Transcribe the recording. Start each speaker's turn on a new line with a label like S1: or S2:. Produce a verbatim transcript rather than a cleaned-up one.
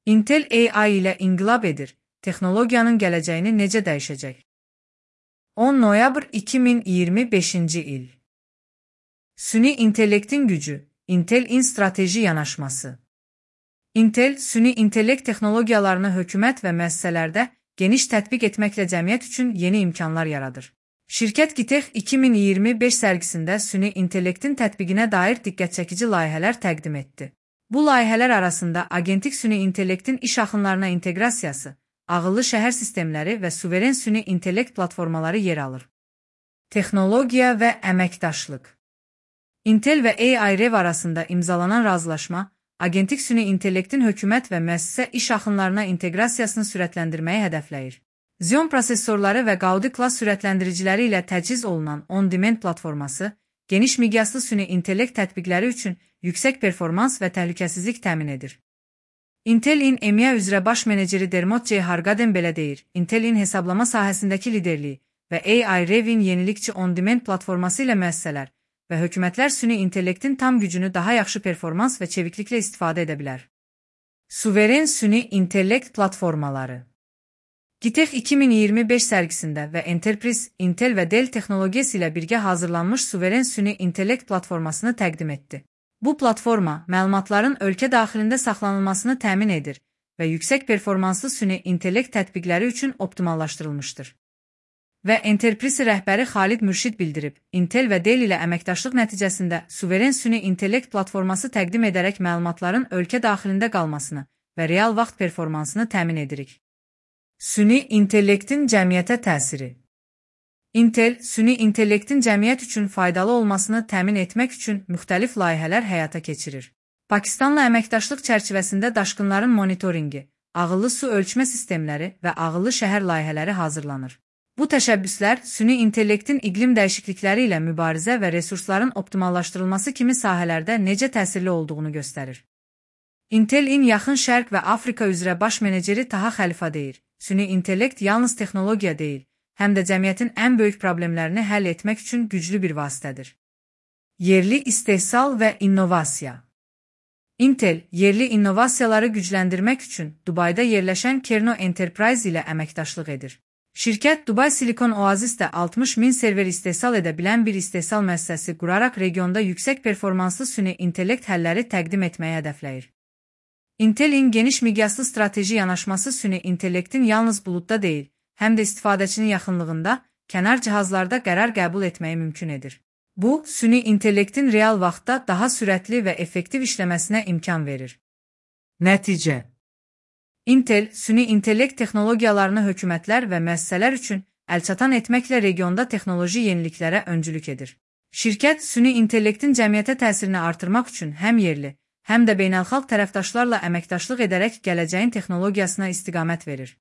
S1: Intel A I ilə inqilab edir. Texnologiyanın gələcəyini necə dəyişəcək? on noyabr iki min iyirmi beşinci il. Süni intellektin gücü, Intel-in strateji yanaşması. Intel, süni intellekt texnologiyalarını hökumət və müəssisələrdə geniş tətbiq etməklə cəmiyyət üçün yeni imkanlar yaradır. Şirkət GITEX iki min iyirmi beş sərgisində süni intellektin tətbiqinə dair diqqətçəkici layihələr təqdim etdi. Bu layihələr arasında agentik süni intellektin iş axınlarına inteqrasiyası, ağıllı şəhər sistemləri və suveren süni intellekt platformaları yer alır. Texnologiya və əməkdaşlıq. Intel və A I Rev arasında imzalanan razılaşma, agentik süni intellektin hökumət və müəssisə iş axınlarına inteqrasiyasını sürətləndirməyi hədəfləyir. Xeon prosesorları və Gaudi klass sürətləndiriciləri ilə təchiz olunan on-demand platforması, geniş miqyaslı süni intellekt tətbiqləri üçün yüksək performans və təhlükəsizlik təmin edir. Intel-in E M E A üzrə baş meneceri Dermot C. Hargaden belə deyir, Intel-in hesablama sahəsindəki liderliyi və A I Rev'in yenilikçi on-demand platforması ilə müəssisələr və hökumətlər süni intellektin tam gücünü daha yaxşı performans və çevikliklə istifadə edə bilər. Suveren süni intellekt platformaları. GITEX iki min iyirmi beş sərgisində və Enterprise, Intel və Dell texnologiyası ilə birgə hazırlanmış suveren süni intellekt platformasını təqdim etdi. Bu platforma, məlumatların ölkə daxilində saxlanılmasını təmin edir və yüksək performanslı süni intellekt tətbiqləri üçün optimallaşdırılmışdır. Və Enterprise rəhbəri Xalid Mürşid bildirib, Intel və Dell ilə əməkdaşlıq nəticəsində suveren süni intellekt platforması təqdim edərək məlumatların ölkə daxilində qalmasını və real vaxt performansını təmin edirik. Süni intellektin cəmiyyətə təsiri. Intel, süni intellektin cəmiyyət üçün faydalı olmasını təmin etmək üçün müxtəlif layihələr həyata keçirir. Pakistanla əməkdaşlıq çərçivəsində daşqınların monitoringi, ağıllı su ölçmə sistemləri və ağıllı şəhər layihələri hazırlanır. Bu təşəbbüslər süni intellektin iqlim dəyişiklikləri ilə mübarizə və resursların optimallaşdırılması kimi sahələrdə necə təsirli olduğunu göstərir. Intel-in Yaxın Şərq və Afrika üzrə baş meneceri Taha Xəlifa deyir, süni intellekt yalnız texnologiya deyil, həm də cəmiyyətin ən böyük problemlərini həll etmək üçün güclü bir vasitədir. Yerli istehsal və innovasiya. Intel, yerli innovasiyaları gücləndirmək üçün Dubayda yerləşən Kerno Enterprise ilə əməkdaşlıq edir. Şirkət Dubai Silikon Oazisdə altmış min server istehsal edə bilən bir istehsal müəssisəsi quraraq regionda yüksək performanslı süni intellekt həlləri təqdim etməyi hədəfləyir. Intel-in geniş miqyaslı strateji yanaşması süni intellektin yalnız buludda deyil, həm də istifadəçinin yaxınlığında, kənar cihazlarda qərar qəbul etməyi mümkün edir. Bu, süni intellektin real vaxtda daha sürətli və effektiv işləməsinə imkan verir. Nəticə. Intel, süni intellekt texnologiyalarını hökumətlər və müəssisələr üçün əlçatan etməklə regionda texnoloji yeniliklərə öncülük edir. Şirkət, süni intellektin cəmiyyətə təsirini artırmaq üçün həm yerli, həm də beynəlxalq tərəfdaşlarla əməkdaşlıq edərək gələcəyin texnologiyasına istiqamət verir.